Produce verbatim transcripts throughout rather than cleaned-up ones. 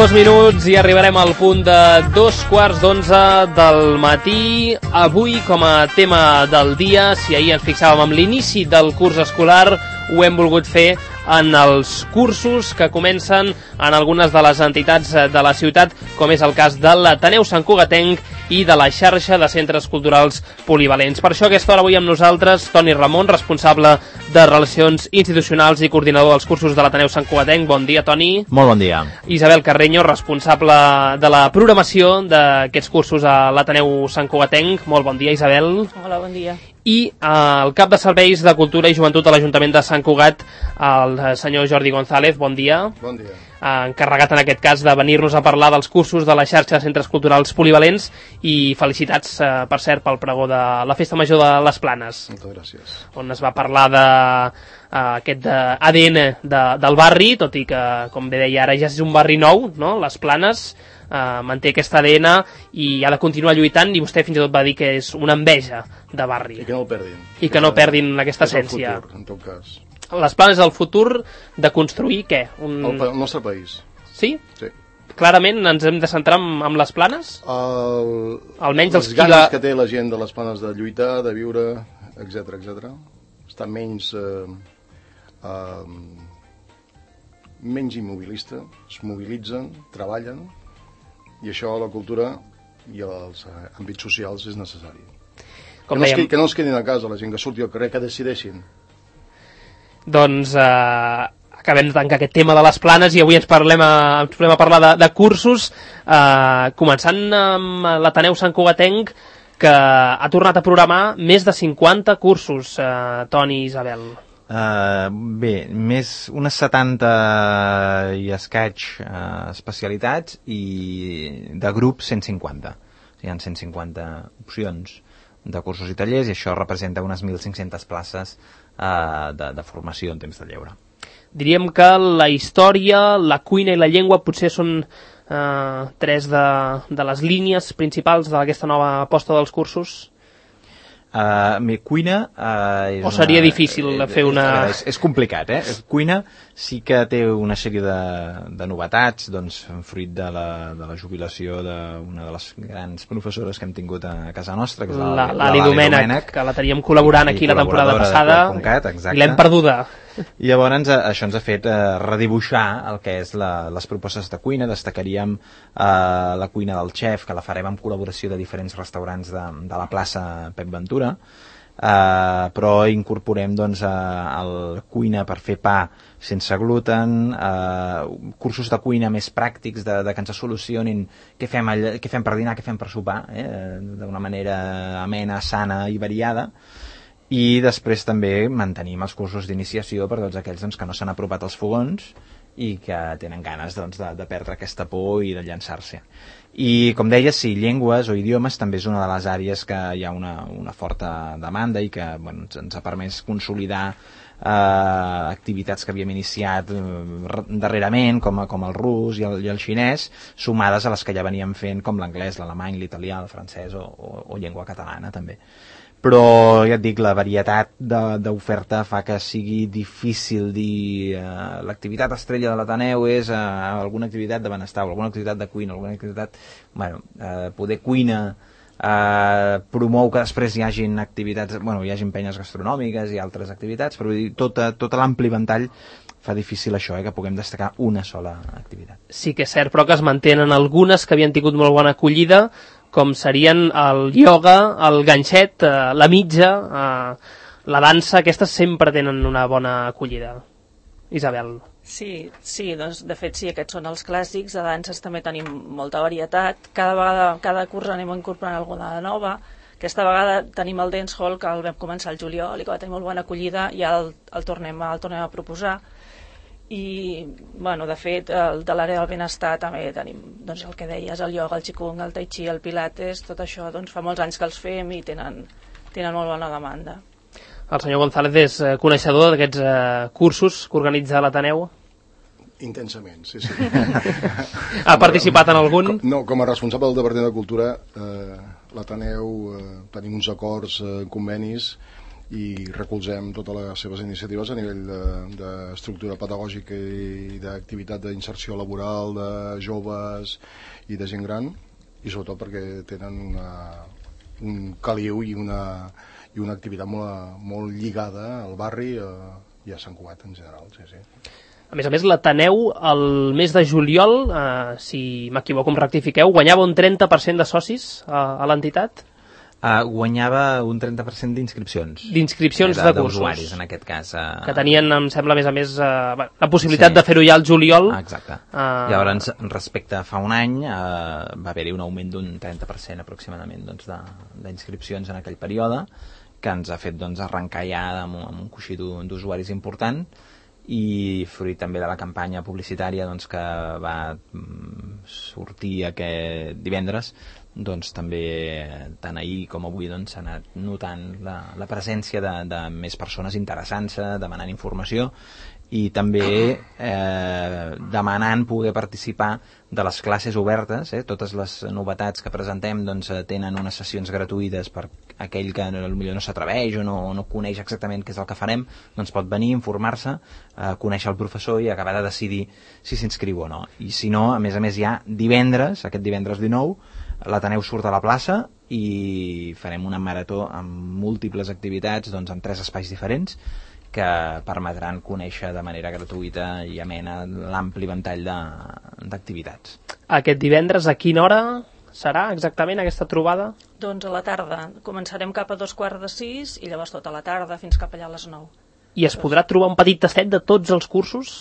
dos minuts i arribarem al punt de dos quarts d'onze del matí. Avui, com a tema del dia, si ahir ens fixàvem amb l'inici del curs escolar, ho hem volgut fer en els cursos que comencen en algunes de les entitats de la ciutat, com és el cas de l'Ateneu Sant Cugatenc i de la xarxa de centres culturals polivalents. Per això a aquesta hora avui amb nosaltres Toni Ramon, responsable de Relacions Institucionals i coordinador dels cursos de l'Ateneu Sant Cugatenc. Bon dia, Toni. Molt bon dia. Isabel Carreño, responsable de la programació d'aquests cursos a l'Ateneu Sant Cugatenc. Molt bon dia, Isabel. Hola, bon dia. I eh, el cap de Serveis de Cultura i Joventut de l'Ajuntament de Sant Cugat, el senyor Jordi González. Bon dia. Bon dia. Eh, encarregat en aquest cas de venir-nos a parlar dels cursos de la xarxa de centres culturals polivalents, i felicitats, eh, per cert, pel pregó de la Festa Major de les Planes. Moltes gràcies. On es va parlar de eh, aquest A D N de, del barri, tot i que, com bé deia, ara ja és un barri nou, no? Les Planes eh, manté aquest A D N i ha de continuar lluitant, i vostè fins i tot va dir que és una enveja de barri. I que no el perdin. I que no perdin aquesta essència. És el futur, en tot cas. Les Planes és el futur de construir què? Un... El, el nostre país. Sí? Sí. Clarament ens hem de centrar en, en les Planes? El... Almenys els les ganes la... que té la gent de les Planes de lluitar, de viure, etcètera, etcètera. Està menys... Eh, eh, menys immobilista, es mobilitzen, treballen, i això a la cultura i als àmbits socials és necessari. Com que, no dèiem... es, que no es quedin a casa, la gent que surti al carrer, que decideixin. Doncs eh, acabem de tancar aquest tema de les Planes i avui ens parlem a, ens podem a parlar de, de cursos, eh, començant amb l'Ateneu Sant Cugatenc, que ha tornat a programar més de cinquanta cursos, eh, Toni i Isabel. Uh, bé, més unes setanta i escaig uh, especialitats, i de grup cent cinquanta. O sigui, hi ha cent cinquanta opcions de cursos i tallers, i això representa unes mil cinc-centes places uh, de, de formació en temps de lleure. Diríem que la història, la cuina i la llengua potser són eh, tres de, de les línies principals d'aquesta nova aposta dels cursos. Uh, mi, cuina uh, és o seria una, difícil de fer una... Veure, és, és complicat, eh? Cuina sí que té una sèrie de, de novetats, doncs, fruit de la, de la jubilació d'una de les grans professores que hem tingut a casa nostra, que és la, l'Ali Domènech, que la teníem col·laborant aquí la temporada passada, Cat, i l'hem perduda. I llavors això ens ha fet eh, redibuixar el que és la, les propostes de cuina. Destacaríem eh, la cuina del xef, que la farem en col·laboració de diferents restaurants de, de la plaça Pep Ventura, eh, però incorporem doncs, eh, el cuina per fer pa sense gluten, eh, cursos de cuina més pràctics, de, de que ens solucionin què fem, allà, què fem per dinar, què fem per sopar, eh, d'una manera amena, sana i variada. I després també mantenim els cursos d'iniciació per tots aquells doncs, que no s'han apropat als fogons i que tenen ganes doncs, de, de perdre aquesta por i de llançar-se. I com deia, sí, llengües o idiomes també és una de les àrees que hi ha una, una forta demanda i que bueno, ens, ens ha permès consolidar eh, activitats que havíem iniciat eh, darrerament, com, com el rus i el, i el xinès, sumades a les que ja veníem fent, com l'anglès, l'alemany, l'italià, el francès o, o, o llengua catalana també. Però ja et dic, la varietat d'oferta fa que sigui difícil dir eh, l'activitat estrella de l'Ateneu és eh, alguna activitat de benestar, alguna activitat de cuina, alguna activitat... Bueno, eh, poder cuina eh, promou que després hi hagin activitats, bueno, hi hagin penyes gastronòmiques i altres activitats, però tota, tota l'ampli ventall fa difícil això, eh, que puguem destacar una sola activitat. Sí que és cert, però que es mantenen algunes que havien tingut molt bona acollida, com serien el ioga, el ganxet, eh, la mitja, eh, la dansa. Aquestes sempre tenen una bona acollida. Isabel. Sí, sí, doncs de fet sí, aquests són els clàssics. De danses també tenim molta varietat. Cada vegada, cada curs anem incorporant alguna de nova. Aquesta vegada tenim el dancehall, que el vam començar el juliol i que va tenir molt bona acollida, i el, el, tornem, el tornem a proposar. I, bueno, de fet, el de l'àrea del benestar també tenim, doncs, el que deies, el ioga, el qigong, el tai chi, el pilates, tot això, doncs, fa molts anys que els fem i tenen, tenen molt bona demanda. El senyor González és eh, coneixedor d'aquests eh, cursos que organitza l'Ateneu? Intensament, sí, sí. Ha participat en algun? Com, no, com a responsable del Departament de Cultura, eh, l'Ateneu, eh, tenim uns acords, eh, convenis, i recolzem totes les seves iniciatives a nivell d'estructura de, pedagògica i d'activitat d'inserció laboral de joves i de gent gran, i sobretot perquè tenen una, un caliu i una, i una activitat molt, molt lligada al barri eh, i a Sant Cugat en general. Sí, sí. A més a més, l'Ateneu, el mes de juliol, eh, si m'equivoco em rectifiqueu, guanyava un trenta per cent de socis a, a l'entitat? Uh, guanyava un trenta per cent d'inscripcions. D'inscripcions eh, de, de cursos. D'usuaris, en aquest cas. Uh... Que tenien, em sembla, a més a més, uh, la possibilitat sí. de fer-ho ja al juliol. Ah, exacte. Uh... Llavors, respecte a fa un any, uh, va haver-hi un augment d'un trenta per cent aproximadament doncs, d'inscripcions en aquell període, que ens ha fet doncs, arrencar ja amb, amb un coixí d'usuaris important, i fruit també de la campanya publicitària doncs, que va mm, sortir aquest divendres, doncs també tant ahir com avui doncs, s'ha anat notant la, la presència de, de més persones interessant-se, demanant informació i també eh, demanant poder participar de les classes obertes. Eh? Totes les novetats que presentem doncs, tenen unes sessions gratuïtes per aquell que potser no s'atreveix o no, no coneix exactament què és el que farem, doncs pot venir, informar-se, eh, conèixer el professor i acabar de decidir si s'inscriu o no. I si no, a més a més ja divendres, aquest divendres dinou, l'Ateneu surt a la plaça i farem una marató amb múltiples activitats doncs, en tres espais diferents que permetran conèixer de manera gratuïta i amena l'ampli ventall d'activitats. Aquest divendres a quina hora serà exactament aquesta trobada? Doncs a la tarda. Començarem cap a dos quarts de sis i llavors tota la tarda fins cap allà a les nou. I es podrà trobar un petit tastet de tots els cursos?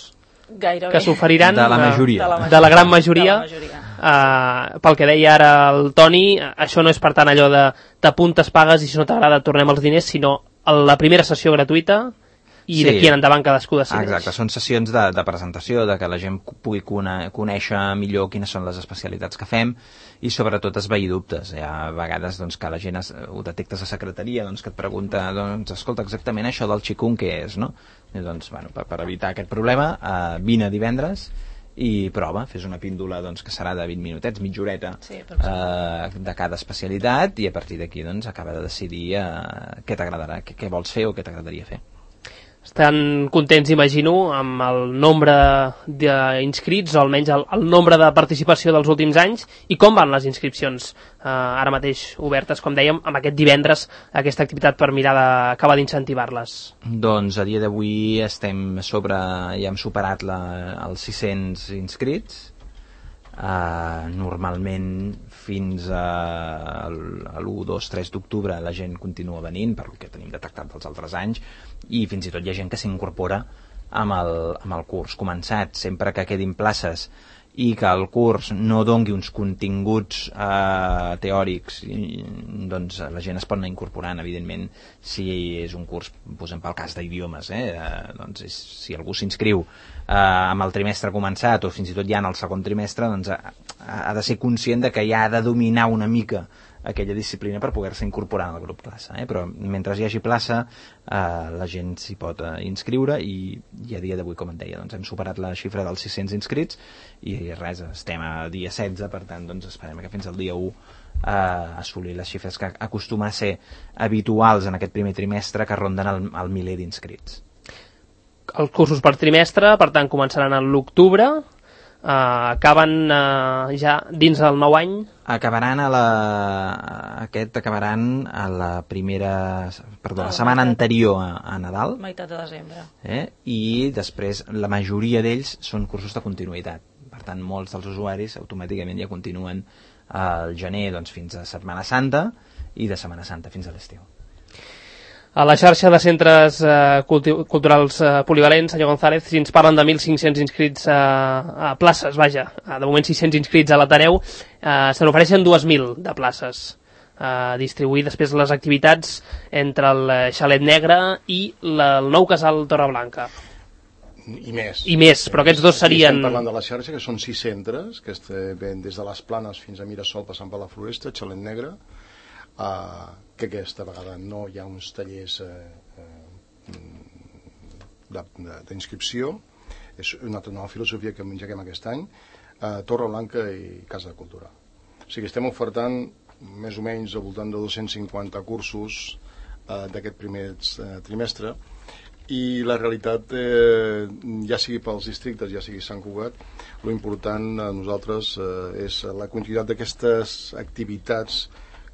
Gairebé. Que s'oferiran de la majoria. De la, majoria. de la gran majoria, de la majoria. Uh, pel que deia ara el Toni, això no és per tant allò de t'apuntes, pagues i si no t'agrada tornem els diners, sinó la primera sessió gratuïta i sí. D'aquí en endavant cadascú decideix. Exacte, són sessions de, de presentació, de que la gent pugui cone, conèixer millor quines són les especialitats que fem i sobretot esvair dubtes. Hi ha vegades doncs, que la gent es, ho detectes a secretaria, doncs, que et pregunta, doncs, escolta, exactament això del xicun què és, no? I, doncs, bueno, per, per evitar aquest problema, eh, vine divendres i prova, fes una píndola doncs, que serà de vint minutets, mitja horeta, sí, eh, de cada especialitat i a partir d'aquí doncs, acaba de decidir eh, què t'agradarà, què, què vols fer o què t'agradaria fer. Estan contents, imagino, amb el nombre d'inscrits, o almenys el, el nombre de participació dels últims anys, i com van les inscripcions eh, ara mateix obertes, com dèiem, amb aquest divendres, aquesta activitat per mirar d'acabar d'incentivar-les? Doncs a dia d'avui estem sobre, ja hem superat la, els sis-cents inscrits. Uh, normalment fins a, a l'u, dos, tres d'octubre la gent continua venint per el que tenim detectat dels altres anys i fins i tot hi ha gent que s'incorpora amb, el, amb el curs començat. Sempre que quedin places i que el curs no dongui uns continguts eh, teòrics, i, doncs la gent es pot anar incorporant, evidentment, si és un curs, posem pel cas d'idiomes, eh, eh, doncs és, si algú s'inscriu eh, amb el trimestre començat o fins i tot ja en el segon trimestre, doncs ha, ha de ser conscient de que ja ha de dominar una mica aquella disciplina per poder-se incorporar al grup classe, eh? Però mentre hi hagi plaça eh, la gent s'hi pot eh, inscriure i, i a dia d'avui, com et deia, doncs hem superat la xifra dels sis-cents inscrits i res, estem a dia setze, per tant doncs esperem que fins al dia u eh, assolir les xifres que acostuma a ser habituals en aquest primer trimestre, que ronden el, el miler d'inscrits. Els cursos per trimestre, per tant, començaran a l'octubre. Uh, acaben uh, ja dins del nou any? Acabaran a la... Aquest acabaran a la primera... Perdó, la setmana anterior a, a Nadal. Meitat de desembre. Eh? I després la majoria d'ells són cursos de continuïtat. Per tant, molts dels usuaris automàticament ja continuen al gener doncs, fins a Setmana Santa i de Setmana Santa fins a l'estiu. A la xarxa de centres eh, culti- culturals eh, polivalents, senyor González, si ens parlen de mil cinc-cents inscrits eh, a places, vaja, de moment sis-cents inscrits a l'Ateneu, eh, se n'ofereixen dues mil de places, eh, distribuir després les activitats entre el Xalet Negre i la, el nou casal Torreblanca. I més. I més, però aquests dos serien... Estem parlant de la xarxa, que són sis centres, que ven des de les Planes fins a Mirasol, passant per la Floresta, Xalet Negre, uh, que aquesta vegada no hi ha uns tallers eh, eh, d'inscripció, és una altra nova filosofia que engeguem aquest any, eh, Torreblanca i Casa de Cultura. O sigui, estem ofertant més o menys al voltant de dos-cents cinquanta cursos eh, d'aquest primer eh, trimestre, i la realitat, eh, ja sigui pels districtes, ja sigui Sant Cugat, lo important a nosaltres eh, és la quantitat d'aquestes activitats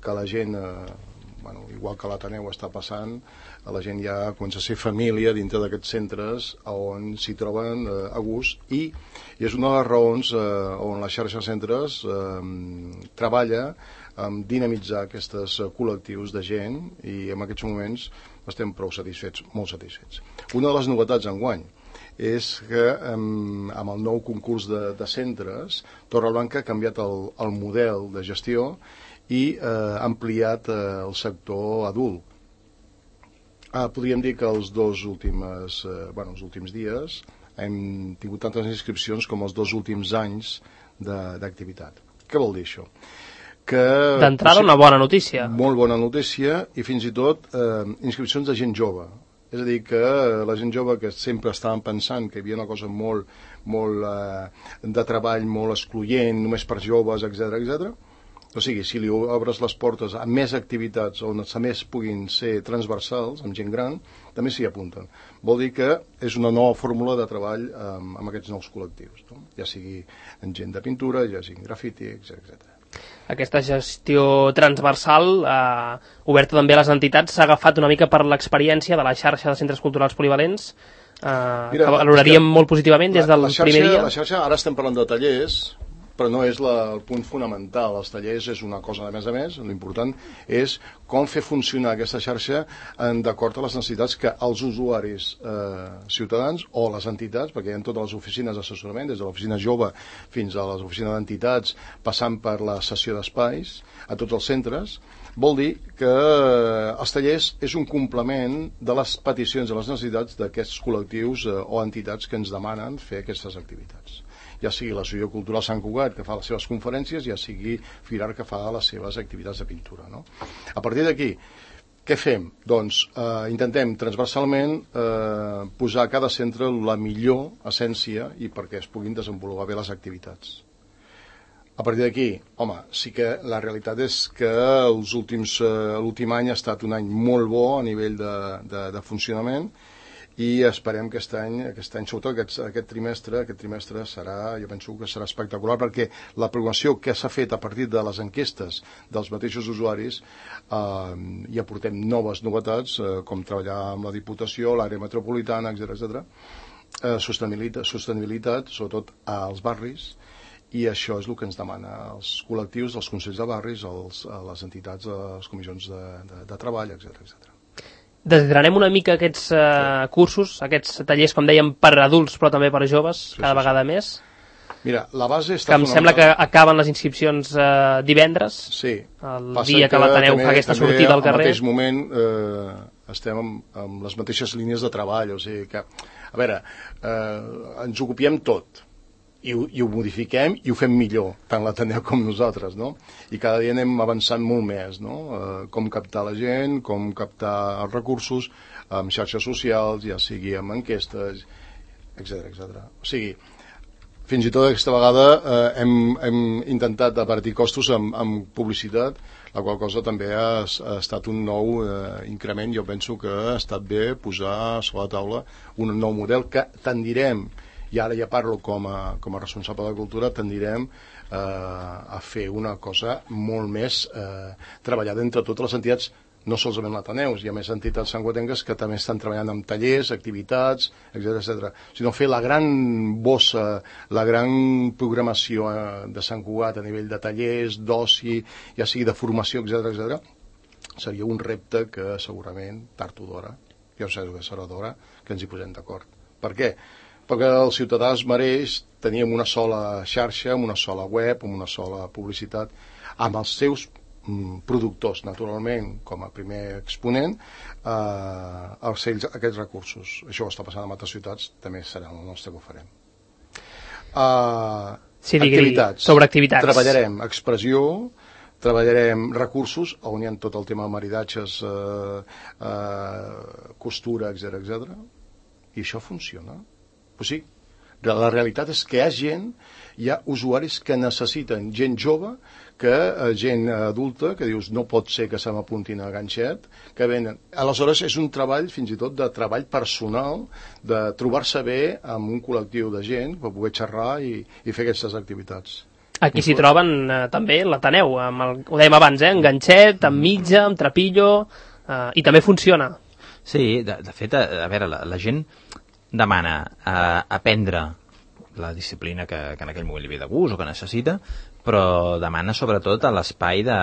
que la gent, eh, bueno, igual que l'Ateneu està passant, la gent ja comença a ser família dintre d'aquests centres on s'hi troben eh, a gust, i, i és una de les raons eh, on la xarxa de centres eh, treballa en dinamitzar aquests col·lectius de gent, i en aquests moments estem prou satisfets, molt satisfets. Una de les novetats enguany és que amb, amb el nou concurs de, de centres, Torreblanca ha canviat el, el model de gestió i eh, ha ampliat eh, el sector adult. Ah, podríem dir que els dos últims, eh, bueno, els últims dies hem tingut tantes inscripcions com els dos últims anys d'activitat. Què vol dir això? D'entrada, una bona notícia. Molt bona notícia, i fins i tot eh, inscripcions de gent jove. És a dir, que la gent jove que sempre estaven pensant que hi havia una cosa molt, molt eh, de treball, molt excloent, només per joves, etcètera, etcètera. O sigui, si li obres les portes a més activitats on a més puguin ser transversals, amb gent gran, també s'hi apunten. Vol dir que és una nova fórmula de treball amb, amb aquests nous col·lectius, no? Ja sigui en gent de pintura, ja sigui grafiti, etcètera, etcètera. Aquesta gestió transversal, eh, oberta també a les entitats, s'ha agafat una mica per l'experiència de la xarxa de centres culturals polivalents, eh, Mira, que valoraríem molt positivament des del la xarxa, primer dia. La xarxa, ara estem parlant de tallers, però no és la, el punt fonamental. Els tallers és una cosa de més a més, l'important és com fer funcionar aquesta xarxa d'acord a les necessitats que els usuaris eh, ciutadans o les entitats, perquè hi ha totes les oficines d'assessorament, des de l'oficina jove fins a les oficines d'entitats, passant per la sessió d'espais, a tots els centres, vol dir que els tallers és un complement de les peticions i les necessitats d'aquests col·lectius eh, o entitats que ens demanen fer aquestes activitats. Ja sigui l'Associació Cultural Sant Cugat, que fa les seves conferències, ja sigui Filar, que fa les seves activitats de pintura, no? A partir d'aquí, què fem? Doncs eh, intentem transversalment eh, posar a cada centre la millor essència i perquè es puguin desenvolupar bé les activitats. A partir d'aquí, home, sí que la realitat és que els últims, eh, l'últim any ha estat un any molt bo a nivell de, de, de funcionament, i esperem que aquest any, aquest any sobretot aquest, aquest trimestre, aquest trimestre serà, jo penso que serà espectacular, perquè la programació que s'ha fet a partir de les enquestes dels mateixos usuaris, eh, hi aportem noves novetats, eh, com treballar amb la Diputació, l'àrea metropolitana, etcètera, etcètera, eh, sostenibilitat, sostenibilitat, sobretot als barris, i això és el que ens demana els col·lectius, els consells de barris, els, les entitats, les comissions de, de, de treball, etcètera, etcètera. Desgranem una mica aquests uh, sí. cursos, aquests tallers, com dèiem, per adults, però també per joves, sí, cada sí, vegada sí. més. Mira, la base està... Que em sembla que acaben les inscripcions uh, divendres, sí. el Passa dia que, que l'Ateneu fa aquesta sortida al carrer. Al mateix moment eh, estem amb, amb les mateixes línies de treball, o sigui que, a veure, eh, ens ocupiem tot, i ho, i ho modifiquem i ho fem millor, tant l'Ateneu com nosaltres, no? I cada dia anem avançant molt més, no? Eh, com captar la gent, com captar els recursos, amb xarxes socials, ja sigui amb enquestes, etcètera, etcètera. O sigui, fins i tot aquesta vegada eh, hem, hem intentat abatir costos amb, amb publicitat, la qual cosa també ha, ha estat un nou eh, increment. Jo penso que ha estat bé posar sobre la taula un nou model que tendirem, i ara ja parlo com a, com a responsable de cultura, tendirem eh, a fer una cosa molt més eh, treballada entre totes les entitats, no solament l'Ateneu, hi ha més entitats santcugatenques que també estan treballant amb tallers, activitats, etcètera, etcètera, sinó fer la gran bossa, la gran programació eh, de Sant Cugat a nivell de tallers, d'oci, ja sigui de formació, etcètera, etcètera, seria un repte que segurament, tard o d'hora, ja ho sé que serà d'hora, que ens hi posem d'acord. Per què? Perquè el ciutadà es mereix tenir una sola xarxa, amb una sola web, amb una sola publicitat, amb els seus mm, productors, naturalment, com a primer exponent, eh, els ells, aquests recursos. Això està passant en altres ciutats, també serà el nostre que ho farem. Uh, sí, activitats. Sobre activitats. Treballarem expressió, treballarem recursos, on hi ha tot el tema de maridatges, eh, eh, costura, etcètera, etcètera, i això funciona. Pues sí, La realitat és que hi ha gent, hi ha usuaris que necessiten gent jove, que eh, gent adulta, que dius no pot ser que se m'apuntin a ganxet, que venen. Aleshores és un treball, fins i tot de treball personal, de trobar-se bé amb un col·lectiu de gent per poder xerrar i, i fer aquestes activitats. Aquí s'hi troben eh, també l'Ateneu, amb el, ho dèiem abans, eh, amb ganxet, amb mitja, amb trapillo, eh, i també funciona. Sí, de, de fet, a, a veure, la, la gent demana eh, aprendre la disciplina que, que en aquell moment li ve de gust o que necessita, però demana sobretot a l'espai de,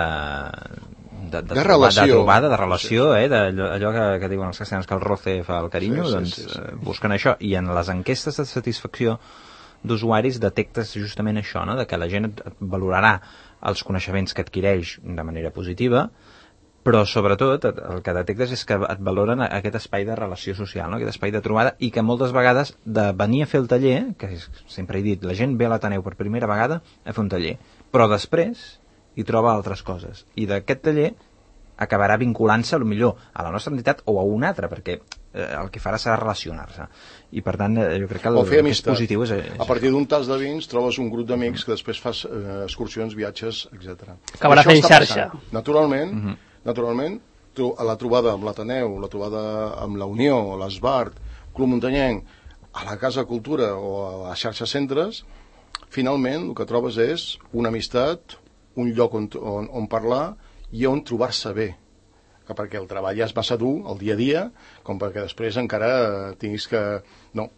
de, de, de, troba, relació. de trobada, de relació, sí. eh, d'allò, allò que, que diuen els castellans que el roce fa el carinyo, sí, sí, doncs sí, sí. Eh, busquen això. I en les enquestes de satisfacció d'usuaris detectes justament això, no? De que la gent et valorarà els coneixements que adquireix de manera positiva, però sobretot el que detectes és que et valoren aquest espai de relació social, no? Aquest espai de trobada, i que moltes vegades de venir a fer el taller, que és, sempre he dit, la gent ve a l'Ateneu per primera vegada a fer un taller, però després hi troba altres coses, i d'aquest taller acabarà vinculant-se millor a la nostra entitat o a una altra, perquè eh, el que farà serà relacionar-se, i per tant eh, jo crec que el, el que és positiu és, és... A partir d'un tas de vins trobes un grup d'amics que després fas eh, excursions, viatges, etcètera. Acabarà fent xarxa. Naturalment, uh-huh. naturalment, a la trobada amb l'Ateneu, la trobada amb la Unió, l'Esbart, Club Muntanyenc, a la Casa Cultura o a la xarxa centres, finalment el que trobes és una amistat, un lloc on, on, on parlar i on trobar-se bé, que perquè el treball ja és massa dur, el dia a dia, com perquè després encara tinguis que... No,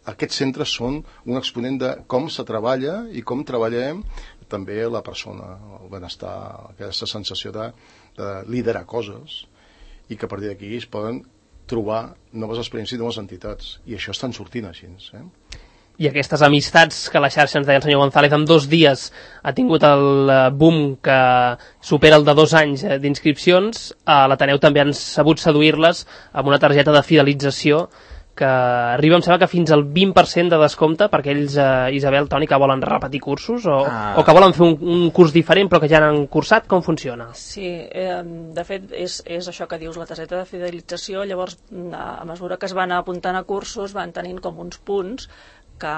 aquests centres són un exponent de com se treballa i com treballem també la persona, el benestar, aquesta sensació de, de liderar coses, i que a partir d'aquí es poden trobar noves experiències i noves entitats, i això estan sortint així, eh? I aquestes amistats que la xarxa, ens deia el senyor González, en dos dies ha tingut el boom que supera el de dos anys d'inscripcions, a l'Ateneu també han sabut seduir-les amb una targeta de fidelització que arriba, em sembla que fins al vint per cent de descompte per aquells, eh, Isabel, Toni, que volen repetir cursos o, ah. o que volen fer un, un curs diferent però que ja han cursat. Com funciona? Sí, eh, de fet és, és això que dius, la targeta de fidelització. Llavors, a mesura que es van apuntant a cursos, van tenint com uns punts que,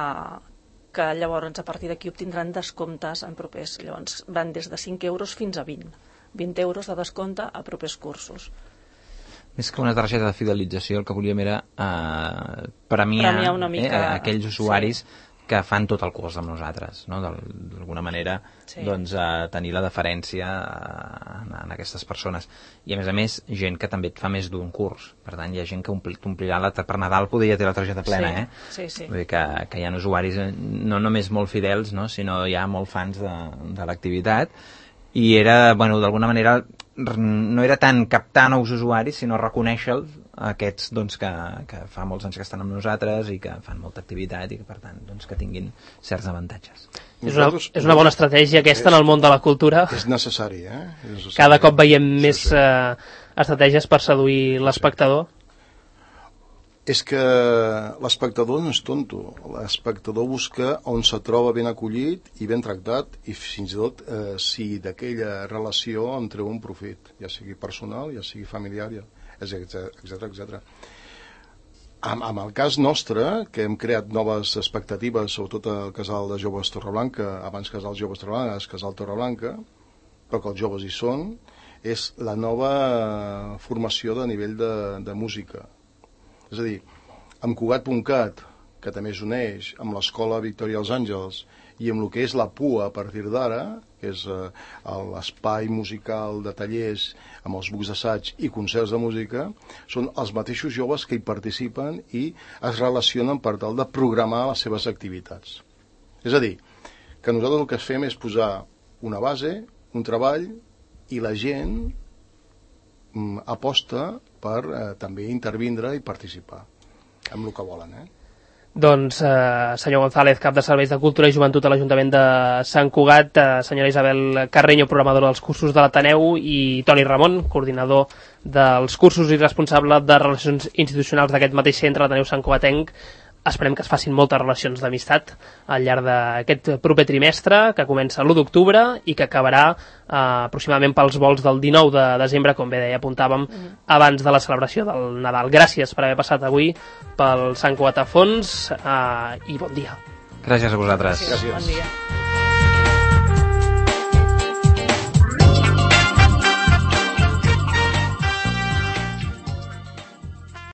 que llavors a partir d'aquí obtindran descomptes en propers. Llavors van des de cinc euros fins a vint. vint euros de descompte a propers cursos. Més que una targeta de fidelització, el que volíem era eh, premiar, premiar una mica, eh, aquells usuaris sí. que fan tot el curs amb nosaltres, no? D'alguna manera sí. doncs, eh, tenir la deferència en, en aquestes persones. I a més a més, gent que també et fa més d'un curs. Per tant, hi ha gent que t'omplirà la, per Nadal poder ja té la targeta plena, sí. eh? Sí, sí. Vull dir que, que hi ha usuaris no només molt fidels, no? Sinó hi ha molt fans de, de l'activitat. I era, bueno, d'alguna manera no era tant captar nous usuaris, sinó reconèixer-los, aquests doncs, que, que fa molts anys que estan amb nosaltres i que fan molta activitat i que, per tant, doncs, que tinguin certs avantatges. És una, és una bona estratègia aquesta en el món de la cultura. És necessari, eh? És necessari. Cada cop veiem més sí, sí. Eh, estratègies per seduir l'espectador. És que l'espectador no és tonto. L'espectador busca on se troba ben acollit i ben tractat, i fins i tot eh, si d'aquella relació en treu un profit, ja sigui personal, ja sigui familiar, etcètera, etcètera. Amb, amb el cas nostre, que hem creat noves expectatives, sobretot al casal de joves Torreblanca, abans casal joves Torreblanca, és casal Torreblanca, però que els joves hi són, és la nova formació de nivell de, de música. És a dir, amb Cugat punt cat, que també s'uneix amb l'Escola Victòria dels Àngels i amb el que és la P U A a partir d'ara, que és eh, l'espai musical de tallers amb els bucs d'assaig i concerts de música, són els mateixos joves que hi participen i es relacionen per tal de programar les seves activitats. És a dir, que nosaltres el que fem és posar una base, un treball, i la gent mm, aposta per eh, també intervindre i participar amb el que volen, eh? Doncs, eh, senyor González, cap de Serveis de Cultura i Joventut a l'Ajuntament de Sant Cugat, eh, senyora Isabel Carreño, programadora dels cursos de l'Ateneu, i Toni Ramon, coordinador dels cursos i responsable de relacions institucionals d'aquest mateix centre, l'Ateneu Sant Cugatenc. Esperem que es facin moltes relacions d'amistat al llarg d'aquest proper trimestre, que comença l'u d'octubre i que acabarà eh, aproximadament pels vols del dinou de desembre, com bé deia, apuntàvem, mm. abans de la celebració del Nadal. Gràcies per haver passat avui pel Sant Cugat a Fons eh, i bon dia. Gràcies a vosaltres. Gràcies. Gràcies. Bon dia.